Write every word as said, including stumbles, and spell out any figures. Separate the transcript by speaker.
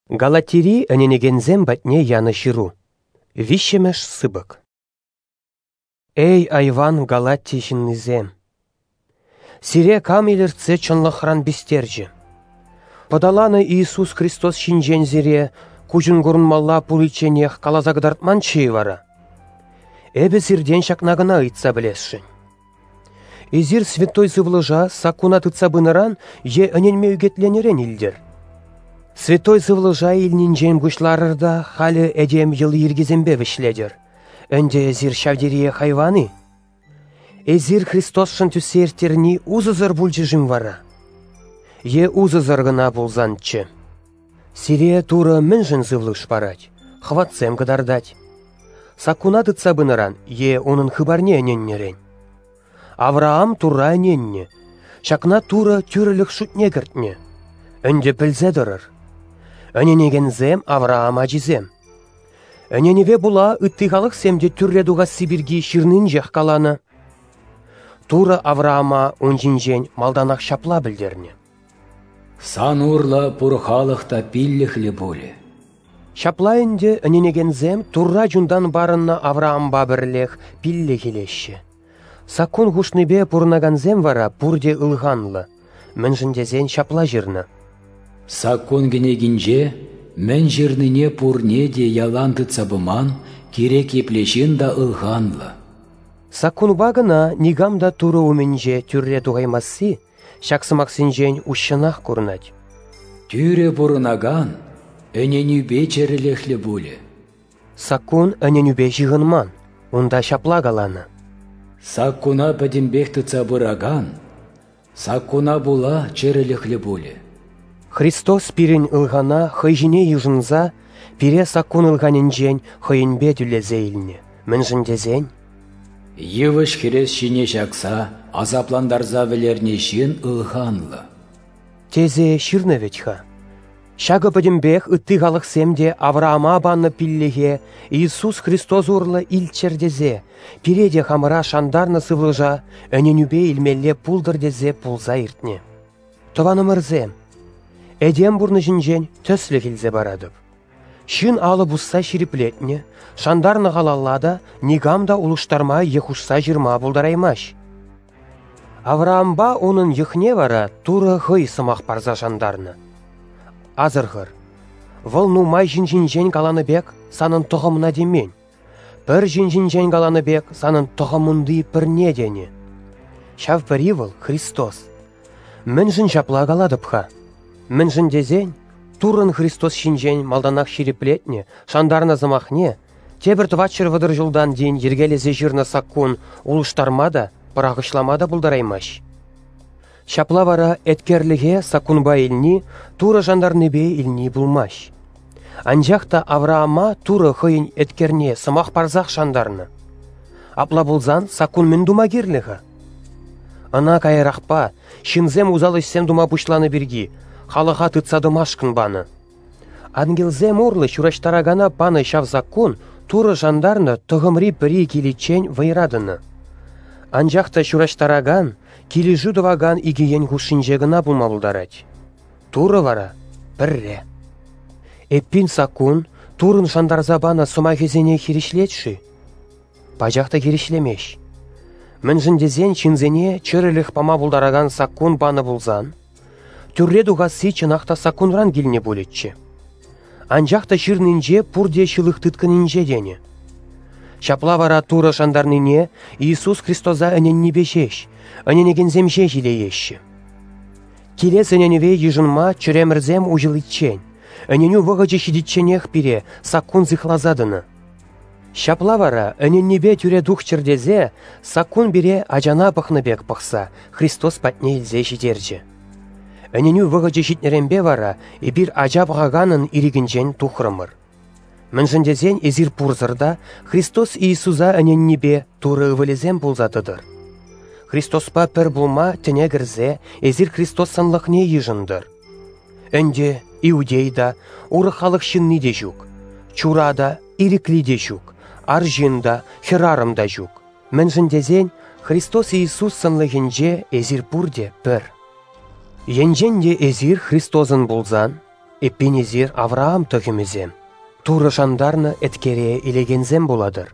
Speaker 1: Галатири ӗненекенсем патне янӑ ҫыру. Виҫҫӗмӗш сыпӑк. Эй, айван Галати ҫыннисем! Сире кам илӗртсе чӑнлӑхран пистерчӗ? Пӑталанӑ Иисус Христос ҫинчен сире куҫӑн курӑнмалла пуличченех каласа кӑтартманччӗ-и вара? Эпӗ сиртен ҫакна кӑна ыйтса пӗлесшӗн. Эсир Святой Сывлӑша саккуна тытса пынӑран е ӗненме ӳкӗтленӗрен илтӗр? Святой Сывлӑша илнинчен пуҫларӑр та халӗ этем йӑли-йӗркисемпе вӗҫлетӗр. Ӗнтӗ эсир ҫав териех айван-и? Эсир Христосшӑн тӳссе ирттерни усӑсӑр пулчӗ-шим вара? Е усӑсӑр кӑна пулсанччӗ? Сире Турӑ мӗншӗн сывлӑш парать, хӑватсем кӑтартать? Саккуна тытса пынӑран е унӑн хыпарне ӗненнӗрен? Авраам Турра ӗненнӗ, ҫакна Турӑ тӳрӗлӗх шутне кӗртнӗ. Ӗнтӗ пӗлсе тӑрӑр. Ӗненекенсем Авраам ачисем. Ӗненӗве пула ытти халӑхсем те тӳрре тухасси пирки ҫырнинчех каланӑ. Турӑ Авраама ун ҫинчен малтанах ҫапла пӗлтернӗ:
Speaker 2: Сан урлӑ пур халӑх та пиллӗхлӗ пулӗ.
Speaker 1: Ҫапла ӗнтӗ ӗненекенсем Турра чунтан парӑннӑ Авраампа пӗрлех пиллӗх илеҫҫӗ. Саккун хушнипе пурӑнакансем вара пурте ылханлӑ, мӗншӗн тесен ҫапла ҫырнӑ:
Speaker 2: Саккун кӗнекинче мӗн ҫырнине пурне те ялан тытса пыман кирек епле ҫын та ылханлӑ.
Speaker 1: Саккунпа кӑна никам та Турӑ умӗнче тӳрре тухаймасси ҫак сӑмахсенчен уҫҫӑнах курӑнать.
Speaker 2: Тӳрӗ пурӑнакан ӗненӳпе чӗрӗлӗхлӗ пулӗ.
Speaker 1: Саккун ӗненӳпе ҫыхӑнман, унта ҫапла каланӑ:
Speaker 2: Саккуна пӗтӗмпех тытса пыракан саккуна пула чӗрӗлӗхлӗ пулӗ.
Speaker 1: Христос пирӗн ылхана хӑй ҫине йышӑнса пире саккун ылханӗнчен хӑйӗнпе тӳлесе илнӗ, мӗншӗн тесен
Speaker 2: йывӑҫ хӗрес ҫине ҫакса асаплантарса вӗлернӗ ҫын ылханлӑ
Speaker 1: тесе ҫырнӑ вӗт-ха. Ҫакӑ пӗтӗмпех ытти халӑхсем те Авраама панӑ пиллӗхе Иисус Христос урлӑ илччӗр тесе, пире те хамӑра шантарнӑ сывлӑша ӗненӳпе илмелле пултӑр тесе пулса иртнӗ. Тӑванӑмӑрсем, этем пурнӑҫӗнчен тӗслӗх илсе паратӑп. Ҫын алӑ пусса ҫирӗплетнӗ, шантарнӑ халала та никам та улӑштарма е хушса ҫырма пултараймасть. Авраампа унӑн йӑхне вара Турӑ хӑй сӑмах парса шантарнӑ. Асӑрхӑр, вӑл нумай ҫын ҫинчен каланӑ пек санӑн тӑхӑмна темен, пӗр ҫын ҫинчен каланӑ пек санӑн тӑхӑмунти пӗрне тенӗ. Ҫав пӗри вӑл Христос. Мӗншӗн ҫапла калатӑп-ха? Мӗншӗн тесен Туррӑн Христос ҫинчен малтанах ҫирӗплетнӗ, шантарнӑ сӑмахне тепӗр тӑватҫӗр вӑтӑр ҫултан тин йӗркелесе ҫырнӑ саккун улӑштарма та, пӑрахӑҫлама та пултараймасть. Ҫапла вара еткерлӗхе саккунпа илни Турӑ шантарнипе илни пулмасть. Анчах та Авраама Турӑ хӑйӗн еткерне сӑмах парсах шантарнӑ. Апла пулсан саккун мӗн тума кирлӗ-ха? Ӑна каярахпа ҫынсем усал ӗҫсем тума пуҫланӑ пирки халӑха тытса тӑмашкӑн панӑ. Ангелсем урлӑ ҫураҫтаракана панӑ ҫав саккун Турӑ шантарнӑ тӑхӑмри пӗри киличчен вӑйра тӑнӑ. Анчах та ҫураҫтаракан, килӗшӳ тӑвакан икӗ ен хушшинче кӑна пулма пултарать. Турӑ вара пӗрре. Эппин саккун Туррӑн шантарса панӑ сӑмахӗсене хирӗҫлет-ши? Пачах та хирӗҫлемест. Мӗншӗн тесен ҫынсене чӗрӗлӗх пама пултаракан саккун панӑ пулсан, тӳрре тухасси чӑнах та саккунран килнӗ пулӗччӗ. Анчах та ҫырнинче пурте ҫылӑх тыткӑнӗнче тенӗ. Ҫапла вара Турӑ шантарнине Иисус Христоса ӗненнипе ҫеҫ, ӗненекенсем ҫеҫ илееҫҫӗ. Килес ӗненӗве йышӑнма чӗремӗрсем уҫӑличчен, ӗненӳ вӑхӑчӗ ҫитичченех пире саккун сыхласа тӑнӑ. Ҫапла вара ӗненнипе тӳре тухчӑр тесе саккун пире ачана пӑхнӑ пек пӑхса Христос патне илсе ҫитерчӗ. Ӗненӳ вӑхӑчӗ ҫитнӗренпе вара эпир ача пӑхаканӑн ирӗкӗнчен тухрӑмӑр. Мӗншӗн тесен эсир пурсӑр та Христос Иисуса ӗненнипе Турӑ ывӑлӗсем пулса тӑтӑр. Христоспа пӗр пулма тӗне кӗрсе эсир Христос сӑнлӑхне йышӑнтӑр. Ӗнтӗ иудей та, урӑх халӑх ҫынни те ҫук, чура та, ирӗкли те ҫук, арҫын та, хӗрарӑм та ҫук. Мӗншӗн тесен Христос Иисус сӑнлӑхӗнче эсир пурте пӗр. Енчен те эсир Христосӑн пулсан, Эппин эсир Авраам тӑхӑмӗсем, Турӑ шантарнӑ еткере илекенсем пулатӑр.